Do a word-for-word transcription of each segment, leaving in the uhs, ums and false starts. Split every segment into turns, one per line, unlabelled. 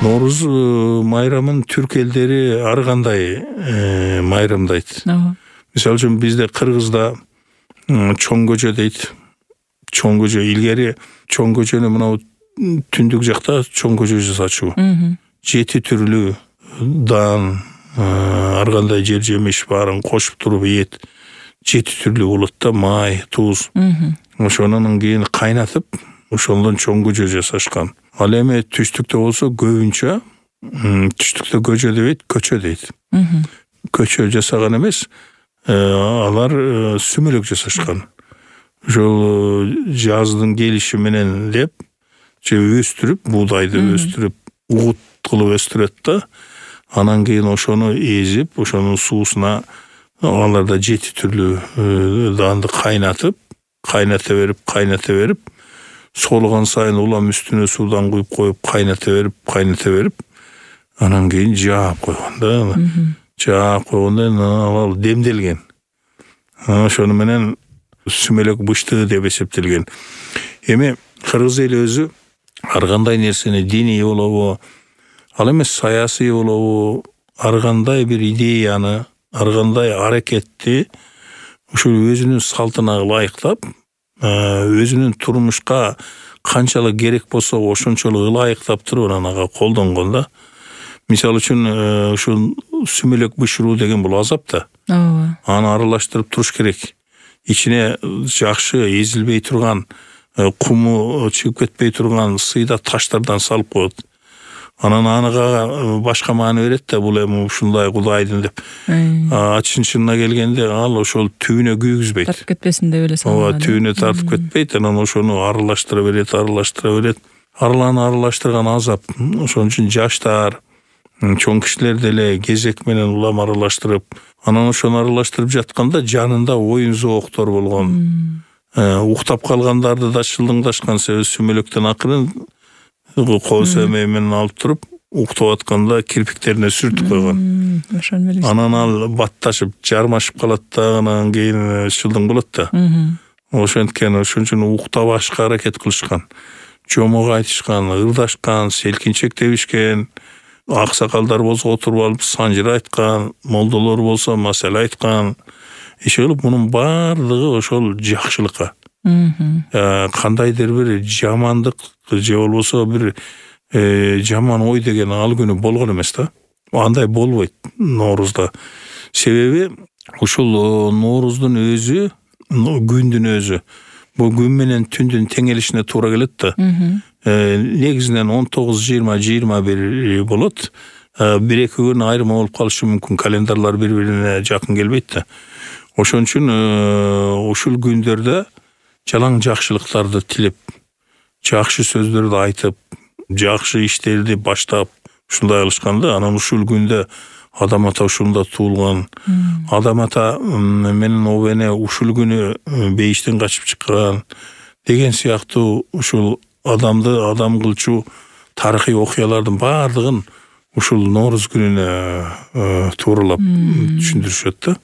Нооруз майрамын түрк элдери ар кандай майрамдайт. Мисалы үчүн бизде Кыргызда чоң көчө дейт. Чоң көчө илгери чоң көчөнү мына түндүк жакта чоң көчө жасачу. Жети түрлүү дан, ар кандай жер жемиш баарын кошуп туруп ийет. Жети түрлүү болот да, май, туз. Ошонун кийин кайнатып, ошондон чоң көчө жасашкан. Ал эми түштүктө болсо көбүнчө түштүктө көчө дебейт, көчө дейт. Көчө жасаган эмес, алар сүмөлөк жасашкан. Ошол жаздын келиши менен деп же өстүрүп, буудайды өстүрүп, угут кылып өстүрөт да, анан кийин ошону эзип, ошонун суусуна аларда жети түрлүү данды кайнатып, кайната берип, кайната берип, солгон сайын улам үстүнө суудан куюп коюп, кайната берип, кайната берип, анан кийин жаап койгон да. Жаап койгондон ал демделген. Ошону менен сүмөлөк бышты деп эсептелген. Эми кыргыз эли өзү ар кандай нерсени диний болобу, ал эмес саясий болобу, ар кандай бир идеяны, ар кандай аракетти ушул өзүнүн салтына ылайыктап, өзүнүн турмушка канчалык керек болсо ошончолук ылайыктап туруп анан ага колдонгон да. Мисалы үчүн ушул сүмөлөк бышыруу деген бул азап да. Аны аралаштырып туруш керек. Ичине жакшы эзилбей турган, куму чыгып кетпей турган сыйда таштардан салып коет. Анан аныга башка маани берет да, бул эми ушундай кудайдын деп. А чын-чынына келгенде ал ошол түбүнө күйгүзбөйт.
Тартып кетпесин деп эле салган.
Ооба, түбүнө тартып кетпейт, анан ошону аралаштыра берет, аралаштыра берет. Араланы аралаштырган азап. Ошон үчүн жаштар, чоң кишилер деле кезек менен улам аралаштырып, анан ошону аралаштырып жатканда жанында оюн зооктор болгон. Уктап калгандарды да шылдыңдашкан себеби сүмөлөктөн акырын кол сөмөй менен алып туруп, уктап атканда кирпиктерине сүртүп койгон. Анан ал батташып, жармашып калат да, анан кийин шылдың болот да. Ошенткен, ошон үчүн уктабашка аракет кылышкан. Жомок айтышкан, ырдашкан, селкинчек тебишкен. Аксакалдар болсо отуруп алып санжыр айткан, молдолор болсо маселе айткан. Иши кылып мунун баардыгы ошол жакшылыкка. Кандайдыр бир жамандык же болбосо бир жаман ой деген ал күнү болгон эмес да. Андай болбойт Ноорузда. Себеби ушул Ноорузтун өзү, күндүн өзү бул күн менен түндүн теңелишине туура келет да. Негизинен он тогуз жыйырма жыйырма бир болот. Бир эки күн айырма болуп калышы мүмкүн, календарлар бири-бирине жакын келбейт да. Ошон үчүн ушул күндөрдө жалаң жакшылыктарды тилеп, жакшы сөздөрдү айтып, жакшы иштерди баштап ушундай кылышканда, анан ушул күндө адам ата ушунда туулган, адам ата менен обене ушул күнү бейиштен качып чыккан деген сыяктуу ушул адамды адам кылчу тарыхый окуялардын баардыгын ушул Ноорuz күнүнө тууралап түшүндүрүшөт да.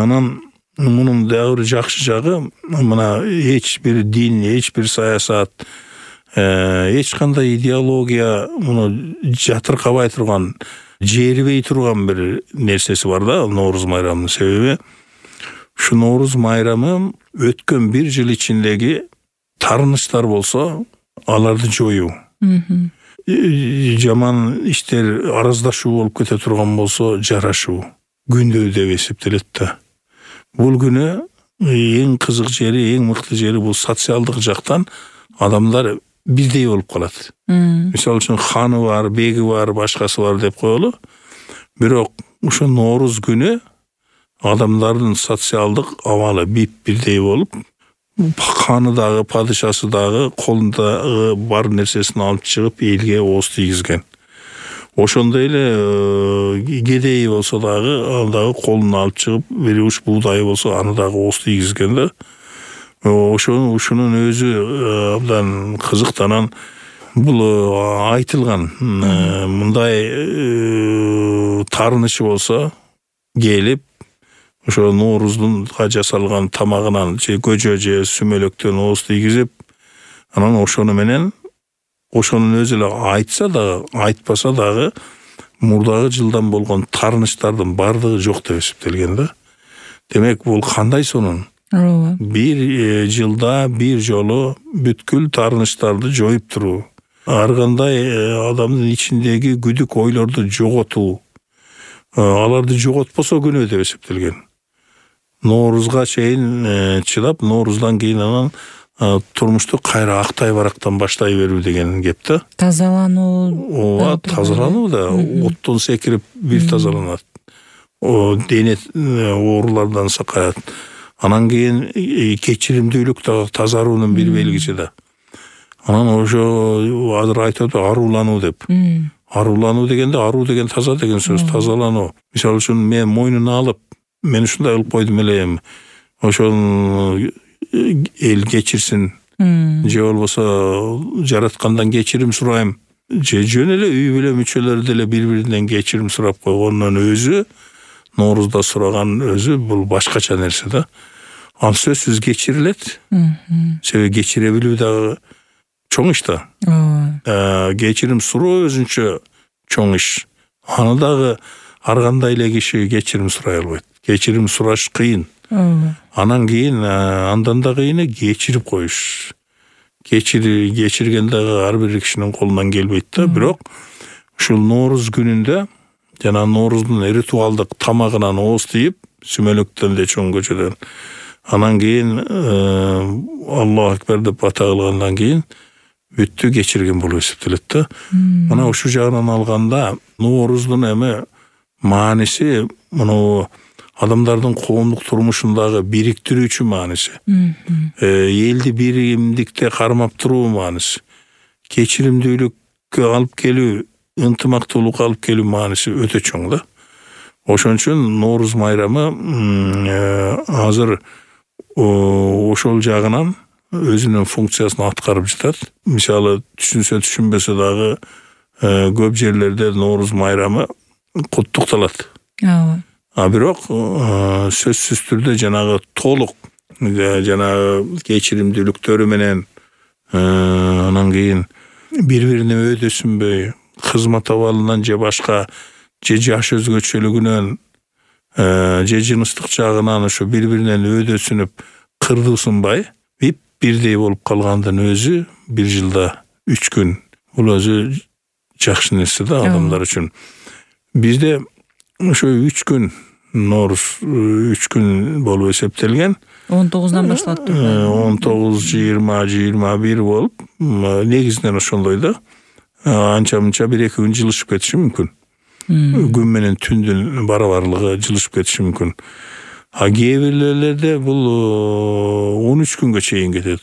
Анан мунун дагы бир жакшы жагы, мына эч бир дин, эч бир саясат, эч кандай идеология муну жатыркабай турган, жерибей турган бир нерсеси бар да Ноорuz майрамынын. Себеби ушу Ноорuz майрамы өткөн бир жыл ичиндеги тарыныштар болсо аларды жоюу. Жаман иштер араздашуу болуп кете турган болсо жарашуу күндө деп эсептелет да. Бул күнү эң кызык жери, эң мыкты жери бул социалдык жактан адамдар бирдей болуп калат. Мисалы үчүн ханы бар, беги бар, башкасы бар деп коелу. Бирок ушул Ноорuz күнү адамдардын социалдык абалы бип-бирдей болуп, ханы дагы, падышасы дагы колунда бар нерсесин алып чыгып элге ооз тийгизген. Ошондой эле кедей болсо дагы ал дагы колун алып чыгып, бир уч буудай болсо аны дагы ооз тийгизген да. Ошону ушунун өзү абдан кызыктанан бул айтылган. Мындай тарынышы болсо келип ошо Ноорuzга жасалган тамагынан же көжө же сүмөлөктөн ооз тийгизип, анан ошону менен ошонун өзү эле айтса дагы, айтпаса дагы мурдагы жылдан болгон таарынычтардын бардыгы жок деп эсептелген да. Демек бул кандай сонун?
Ооба.
Бир жылда бир жолу бүткүл таарынычтарды жоюп туруу, ар кандай адамдын ичиндеги күдүк ойлорду жоготуу, аларды жоготпосо күнөө деп эсептелген. Ноорузга чейин чыдап, нооруздан кийин анан турмушту кайра актай барактан баштай берүү деген кеп да.
Тазалануу.
Ооба, тазалануу да, оттон секирип бир тазаланат. О дене оорулардан сакаят. Анан кийин кечиримдүүлүк да тазаруунун бир белгиси да. Анан ошо азыр айтат аруулануу деп. Аруулануу дегенде аруу деген таза деген сөз, тазалануу. Мисалы үчүн мен мойнуна алып, мен ушундай кылып койдум элем. Ошону эл кечирсин. Же болбосо жараткандан кечирим сурайм. Же жөн эле үй бүлө мүчөлөрү деле бири-биринен кечирим сурап койгондун өзү, Ноорузда сураган өзү бул башкача нерсе да. Ал сөзсүз кечирилет. Себеби кечире билүү дагы чоң иш да. Ооба. Кечирим суроо өзүнчө чоң иш. Аны дагы ар кандай эле киши кечирим сурай албайт. Кечирим сураш кыйын. Ооба. Анан кийин андан да кыйыны кечирип коюш. Кечири кечирген дагы ар бир кишинин колунан келбейт да, бирок ушул Ноорuz күнүндө жана Ноорузтун ритуалдык тамагынан ооз тийип, сүмөлөктөн де чоң көчөдөн. Анан кийин Аллаху акбар деп бата кылгандан кийин бүттү кечирген болуп эсептелет да. Мына ушул жагынан алганда Ноорузтун эми мааниси муну адамдардын коомдук турмушундагы бириктирүүчү мааниси. Элди биримдикте кармап туруу мааниси. Кечиримдүүлүккө алып келүү, ынтымактуулукка алып келүү мааниси өтө чоң да. Ошон үчүн Ноорuz майрамы азыр ошол жагынан өзүнүн функциясын аткарып жатат. Мисалы түшүнсө түшүнбөсө дагы көп жерлерде Ноорuz майрамы куттукталат.
Ооба.
А бирок сөзсүз түрдө жанагы толук жанагы кечиримдүүлүктөрү менен анан кийин бири-бирине өйдөсүнбөй, кызмат абалынан же башка же жаш өзгөчөлүгүнөн же жыныстык жагынан ошо бири-биринен өйдөсүнүп кырдуусунбай, бип бирдей болуп калгандын өзү бир жылда үч күн. Бул өзү жакшы нерсе да адамдар үчүн. Бизде ошо үч күн Ноорuz үч күн болуп эсептелген.
он тогузунан башталат.
он тогуз, жыйырма, жыйырма бир болуп, негизинен ошондой да. Анча-мынча бир эки күн жылышып кетиши мүмкүн. Күн менен түндүн барабарлыгы жылышып кетиши мүмкүн. А кээ бирлерде бул он үч күнгө чейин кетет.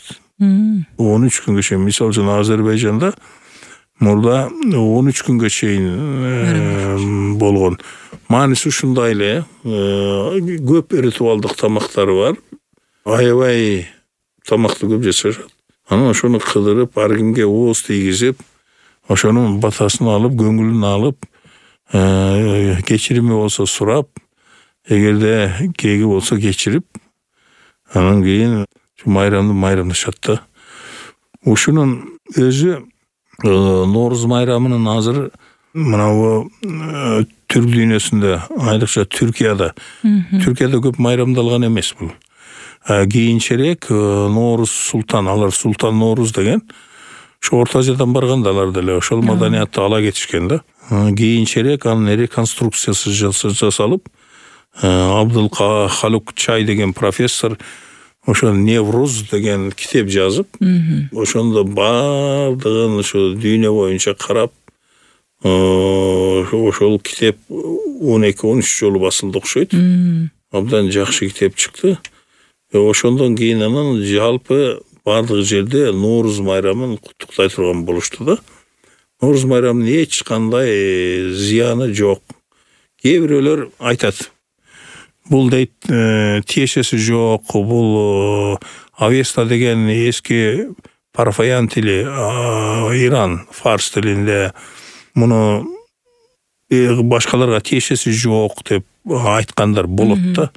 он үч күнгө чейин. Мисалы үчүн Азербайжанда мурда он үч күнгө чейин болгон. Мааниси ушундай эле, көп ритуалдык тамактары бар. Аябай тамакты көп жасашат. Анан ошону кыдырып, ар кимге ооз тийгизип, ошонун батасын алып, көңүлүн алып, кечирими болсо сурап, эгерде кээги болсо кечирип, анан кийин майрамды майрамдашат да. Ушунун өзү Ноорuz майрамынын азыр мына түрк дүйнөсүндө, айрыкча Түркияда, Түркияда көп майрамдалган эмес бул. Кийинчерээк Ноорuz султан, алар султан Ноорuz деген, ошо Орто Азиядан барганда алар деле ошол маданиятты ала кетишкен да. Кийинчерээк анын реконструкциясы жасалып, Абдул Халук Чай деген профессор ошо Невруз деген китеп жазып, ошондо бардыгын ошо дүйнө боюнча карап, ошол китеп он эки он үч жолу басылды окшойт. Абдан жакшы китеп чыкты. Ошондон кийин анан жалпы бардык жерде Ноорuz майрамын куттуктай турган болушту да. Ноорuz майрамынын эч кандай зыяны жок. Кээ бирөөлөр айтат, бул дейт тиешеси жок, бул Авеста деген эски парфаян тили, Иран фарс тилинде, муну башкаларга тиешеси жок деп айткандар болот да.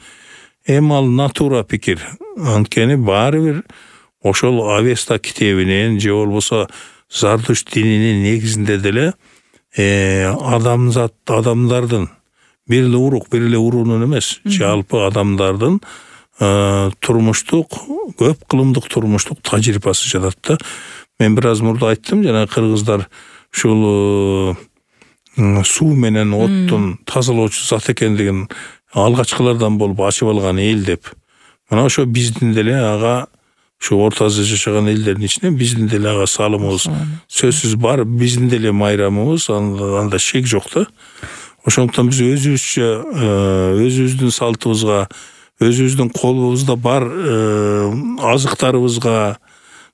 Эми ал натура пикир. Анткени баары бир ошол Авеста китебинен же болбосо Зардуш дининин негизинде деле адамзат адамдардын бир эле урук, бир эле уруунун эмес, жалпы адамдардын турмуштук, көп кылымдык турмуштук тажрыйбасы жатат да. Мен бир аз мурда айттым, жана кыргыздар ушул суу менен оттун тазалоочу зат экендигин алгачкылардан болуп ачып алган эл деп. Мына ошо биздин деле ага ушу Орто Азия жашаган элдердин ичинен биздин деле ага салымыбыз сөзсүз бар, биздин деле майрамыбыз, анда шек жок да. Ошондуктан биз өзүбүзчө өзүбүздүн салтыбызга, өзүбүздүн колубузда бар азыктарыбызга,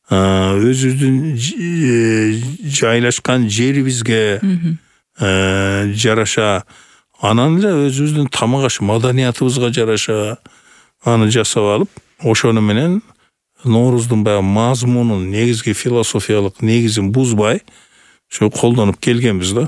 өзүбүздүн жайлашкан жерибизге жараша, анан эле өзүбүздүн тамак аш маданиятыбызга жараша аны жасап алып, ошону менен Норуздун баягы мазмунун, негизги философиялык негизин бузбай, ошо колдонуп келгенбиз да.